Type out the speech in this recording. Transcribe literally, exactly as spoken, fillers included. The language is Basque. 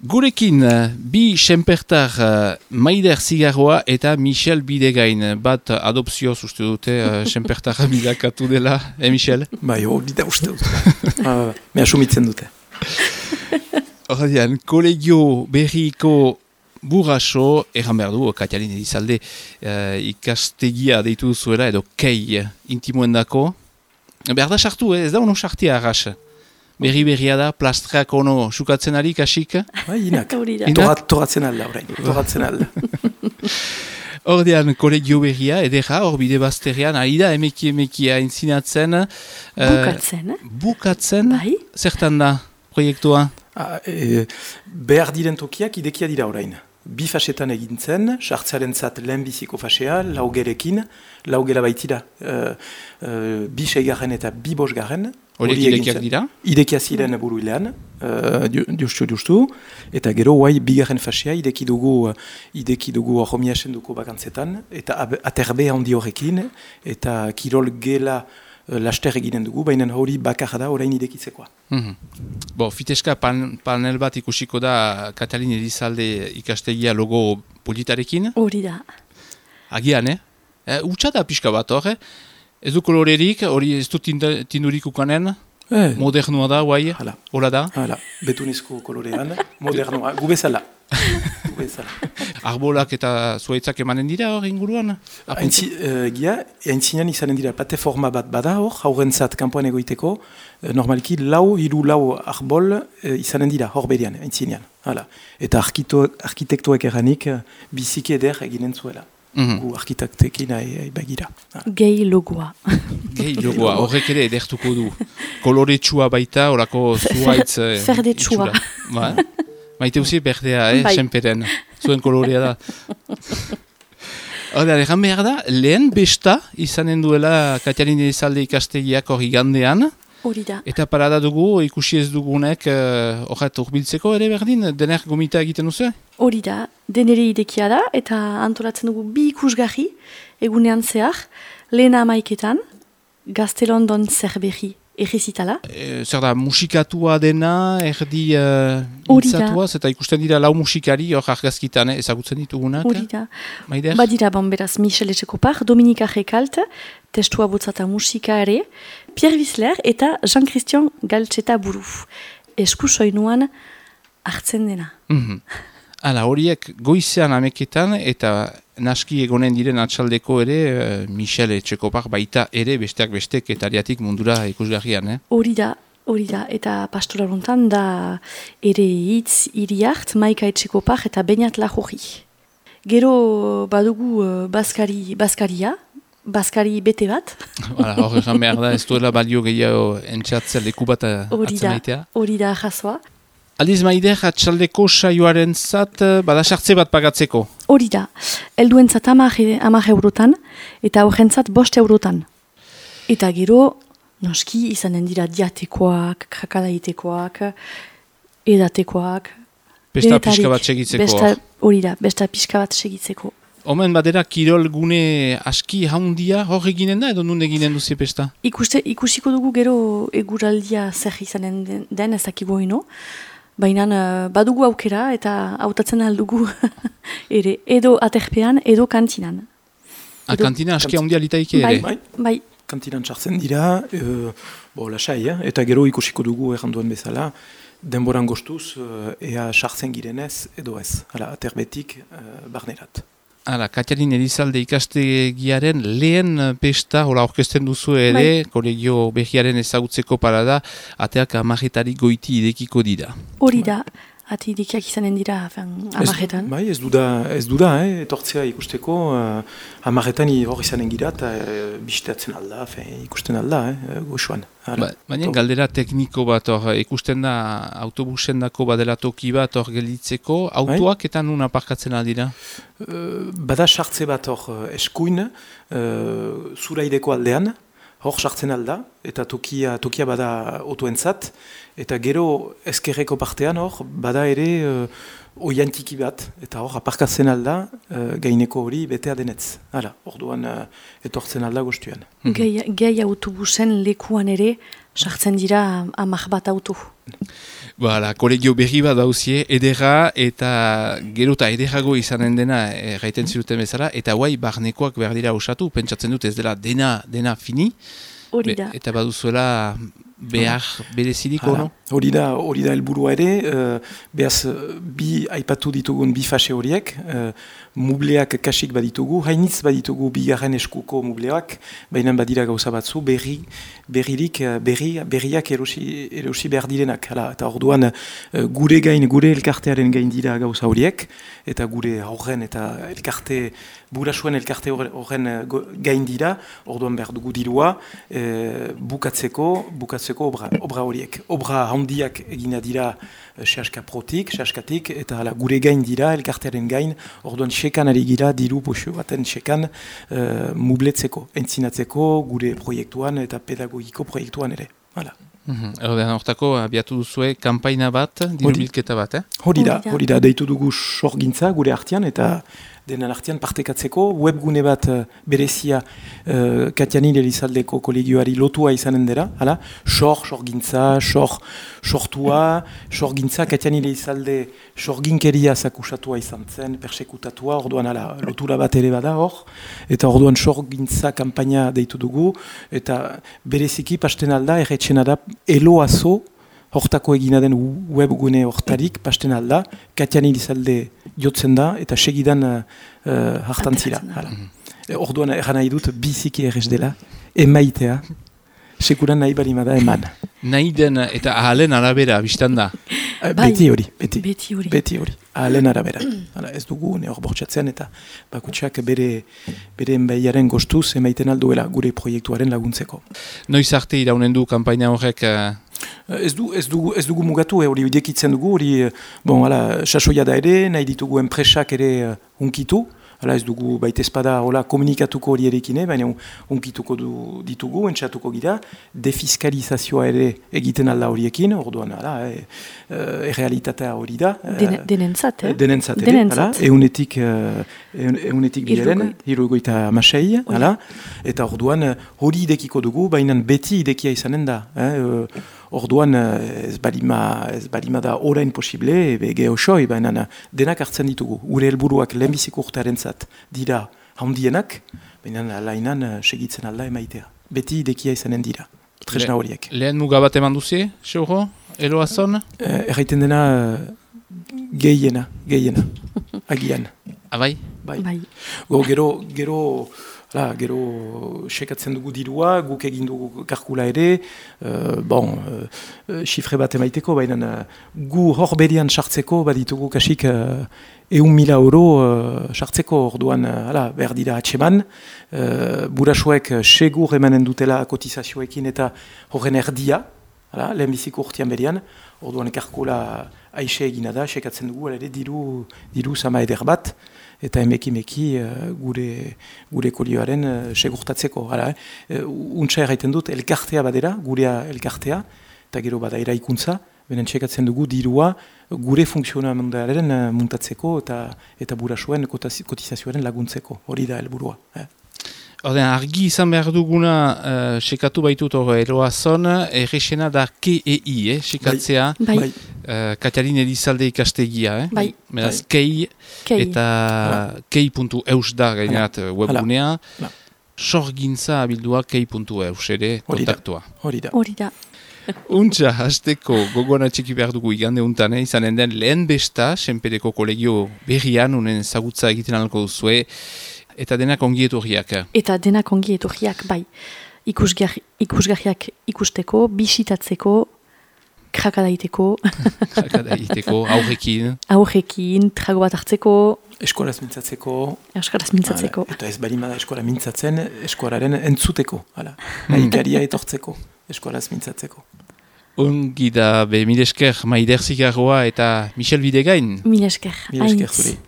Gurekin, bi senpertar uh, Maider Zigarroa eta Michel Bidegain. Bat adopzioz uste dute uh, senpertarra bilakatu dela, eh Michel? Bai, hori da uste dute. uh, me asumitzen dute. Horrean, kolegio berriko burraso, erran behar du, Katialin Elizalde uh, ikastegia deitu duzuela, edo kei intimoendako. Behar da sartu, eh? Ez da ono sartia arras. Berri berria da, plastrak ono sukatzen ari, kasik? Bai, inak. Inak? Toratzen alda, orain. Toratzen alda. Ordean, kolegio berria, edera, hor bide bazterrean, ari da, emeki emeki aintzinatzen. Bukatzen, eh? Bukatzen? Bai. Zertan da, proiektua? Ah, e, behar diren tokiak idekia dira orain. Bi fasetan egintzen, sartzearen zat lehen biziko fasea, laugerekin, laugera baitira. Uh, uh, bi seigarren eta bi bosgarren. Horiek idekiak dira? Idekia ziren buruilean, uh, justu justu, eta gero guai bigarren fasea ideki dugu, ideki dugu ahomiasen duko bakantzetan, eta aterbe handi horrekin, eta kirol gela laster eginen dugu, baina hori bakar da orain idekitzekoa. Mm-hmm. Bo, fiteska pan, panel bat ikusiko da Katalin Elizalde ikastegia logo politarekin. Hori da. Agian, eh? E, Utsa da pixka bat hor, eh? Ez du kolorerik, hori ez du tindurik ukanen? Eh. Modernua da, guai? Hala. Hola da? Hala, betunezko kolorean, modernua, gu bezala. Gu bezala. Arbolak eta zuaitzak emanen dira hor inguruan? Aintzi, uh, gia, aintzinean izanen dira plateforma bat bada hor, haurentzat kanpoan egoiteko, uh, normalki lau, hiru lau arbol uh, izanen dira hor berian, aintzinean. Hala. Eta arkitektoek eranik uh, biziki eder eginen zuela. Mm-hmm. Gu arkitektekin begira. Gehi logoa. Gehi logoa, horrek ere edertuko du. Koloretsua baita, horako zuaitz... Ferdetsua. Ba, maite usi berdea, eh, bai. Senperen. Zuen kolorea da. Hora, erran behar da, lehen besta izanen duela Katialin Elizalde ikastegiak hori gandean. Hori da. Eta parada dugu, ikusi ez dugunek horret uh, urbiltzeko ere berdin, dener gomita egiten duzu? Hori da, denere idekia da, eta antolatzen dugu bi ikusgarri, egunean zehar, lehena amaiketan, Gaztelondon zerberri errezitala. E, zer da, musikatua dena, erdi uh, intzatuaz, eta ikusten dira lau musikari, hor argazkitan, eh, ezagutzen ditugunak. Hori da. Maider? Badira, bon, beraz, Michel Etxekopar, Dominika Rekalt, testua botzata musika ere, Pierre Wissler eta Jean-Christian Galtxeta buru. Esku soinuan hartzen dena. Mm-hmm. Hala, horiek goizean ameketan eta naski egonen diren atxaldeko ere uh, Michel Etxekopar baita ere besteak bestek etariatik mundura ikusgarrian, eh? Hori da, hori da, eta pastoraluntan da ere hitz hiri hart, Maika Etxekopar eta Beñat Lajorri. Gero badugu uh, Baskari, Baskaria, Baskari bete bat. Hala, hor egan behar da, ez duela balio gehiago entxatzea leku bat atzemaitea. Hori da, jasoa. Aldiz Maider, atxaldeko saioaren zat, bada sartze bat pagatzeko? Hori da, helduen zat hamar eurotan, eta horrentzat bost eurotan. Eta gero, noski, izanen dira diatekoak, krakadaitekoak, edatekoak. Besta pixka bat segitzeko. Hori da, besta pixka bat segitzeko. Omen badera kirol gune aski haundia hor eginen da, edo nun eginen duzi pesta? Ikuste, ikusiko dugu gero eguraldia zer izanen den, den ezakigu ino. Baina uh, badugu aukera eta hautatzen aldugu ere, edo aterpean, edo kantinan. A edo, kantina aski haundia litaike ere? Bai, bai. Kantinan txartzen dira, uh, bo, lasai, eh? Eta gero ikusiko dugu erranduan bezala, denboran gostuz, uh, ea sartzen girenez, edo ez, hala, aterbetik uh, barnerat. Hala, Katialin Elizalde ikastegiaren lehen pesta, hola orkesten duzu ere, bai. Kolegio behiaren ezagutzeko parada, ateak amarretari goiti idekiko dira. Hori da, ate idekiak izanen dira amarretan. Bai, ez duda, ez duda, eh, etortzea ikusteko, uh, amarretan hor izanen gira, eta uh, bisteatzen alda, fe, ikusten alda, eh, goxuan. Ba, baina galdera tekniko bat hor, ikusten da autobusen dako badela toki bat hor gelditzeko, autoak eta nun aparkatzen aldira? Uh, bada sartze bat hor eskuin, uh, zuraideko aldean, hor sartzen alda, eta tokia, tokia bada otoentzat, eta gero ezkerreko partean hor, bada ere uh, oiantiki bat, eta hor aparkatzen alda, uh, gaineko hori betea denetz. Hala, orduan uh, etortzen alda guztuan. Gehi autobusen lekuan ere sartzen dira amak bat auto. Bala, kolegio berri bat dauzie, edera eta gero eta ederago izanen dena gaiten ziruten bezala, eta guai barnekoak behar dira osatu, pentsatzen dut ez dela dena, dena fini, Hori da. Be, eta baduzuela behar bereziriko, no? Hori da, hori da helburua ere, uh, behaz bi aipatu ditugun bi fase horiek, uh, mubleak kasik baditugu, hainitz baditugu bigarren eskuko mubleak, baina badira gauza batzu, berri, berririk, berri, berriak erosi, erosi behar direnak. Hala, eta orduan uh, gure gain, gure elkartearen gain dira gauza horiek, eta gure horren eta elkarte, burasuen elkarte horren gain dira, orduan behar dugu dirua, uh, bukatzeko, bukatzeko obra, obra horiek. Obra handiak egina dira sehaska protik, sehaskatik, eta ala, gure gain dira, elkartearen gain, orduan sekan ari gira, diru poxo baten sekan uh, mubletzeko, entzinatzeko, gure proiektuan eta pedagogiko proiektuan ere. Hala. Mm-hmm. Ordean hortako abiatu duzue kanpaina bat, diru bilketa bat, eh? Hori da, hori da, deitu dugu sorgintza gure artean, eta denan artean partekatzeko, webgune bat uh, berezia uh, Katianin Elizaldeko kolegioari lotua izanen dira, hala, sor, sorgintza, sor, sortua, sorgintza, Katianin Elizalde sorginkeria zakusatua izan zen, persekutatua, orduan hala, lotura bat ere bada hor, eta orduan sorgintza kanpaina deitu dugu, eta bereziki pasten alda, erretxena da, eloazo, hortako egina den webgune hortarik, pasten alda, Katianin Elizalde jotzen da, eta segidan uh, uh, hartantzira. Mm-hmm. Orduan erran nahi dut, biziki errez dela, emaitea, sekuran nahi balimada eman. Nahi den eta ahalen arabera, biztan da? Uh, beti hori, beti. Beti hori. Beti hori, ahalen arabera. Hala, ez dugu, ne hor bortxatzen, eta bakutsak bere, bere enbaiaren gostuz emaiten alduela gure proiektuaren laguntzeko. Noiz arte iraunen du kanpaina horrek... Uh... Ez, du, ez, dugu, ez dugu mugatu, hori eh, dekitzen dugu, hori, bon, hala, sasoia da ere, nahi ditugu enpresak ere uh, unkitu, hala ez dugu baita espada hola komunikatuko hori erekine, baina unkituko du, ditugu, entxatuko gira, defiskalizazioa ere egiten alda horiekin, orduan, hala, e, e, errealitatea hori da. Den, denentzat, eh? Denentzat, ere, hala, eunetik, eunetik biaren, hirugoita amasei, hala, eta orduan hori idekiko dugu, baina beti idekia izanen da, eh, orduan ez balima, ez balima da orain posible, ege osoi, baina denak hartzen ditugu. Gure helburuak lehenbiziko urtearen zat dira handienak, baina lainan segitzen alda emaitea. Beti idekia izanen dira, tresna horiek. Le, lehen muga bat eman duzie, Seuro, eloazon? Eh, erraiten dena gehiena, gehiena, agian. Abai? Bai. Bai. Go, gero, gero... Hala, gero sekatzen dugu dirua, guk egin dugu kalkula ere, uh, bon, uh, xifre bat emaiteko, baina uh, gu hor berian sartzeko, baditugu kasik uh, eun mila euro uh, sartzeko orduan, uh, behar dira atseman, uh, burasuek segur emanen dutela kotizazioekin eta horren erdia, hala, lehenbiziko urtean berian, orduan kalkula aixe egina da, sekatzen dugu, ere diru, diru sama eder bat, eta emeki-meki uh, gure, gure kolioaren uh, segurtatzeko. Hala, eh? Untsa erraiten dut, elkartea badera, gurea elkartea, eta gero bada eraikuntza, benen txekatzen dugu dirua gure funtzionamenduaren uh, muntatzeko eta eta burasuen kotizazioaren laguntzeko. Hori da helburua. Eh? Orden, argi izan behar duguna, uh, sekatu baitut hor eloazon, errexena da K E I, eh, sekatzea, bai. Bai. uh, Katiarin Elizalde ikastegia, eh? Bai. Beraz, kei, Kei. eta kei puntu eus da gainerat webgunea, Hala. sorgintza abildua kei puntu eus ere kontaktua. Hori da. Hori da. Untxa, hasteko gogoan atxiki behar dugu igande untan, eh? Izanen den lehen besta, Senpereko kolegio berrian, unen zagutza egiten alko duzue, eta denak ongi etorriak. Eta denak ongi etorriak, bai. Ikusgar, ikusgarriak ikusteko, bisitatzeko, krakadaiteko. Krakadaiteko, aurrekin. Aurrekin, trago bat hartzeko. Eskolaz mintzatzeko. Eskolaz mintzatzeko. Hala, eta ez balimada eskola mintzatzen, eskolaren entzuteko. Hala, nahikaria etortzeko, eskolaz mintzatzeko. Ongi da, be, mil esker, Maider Zigarroa eta Michel Bidegain. Mil esker. Mil esker zuri.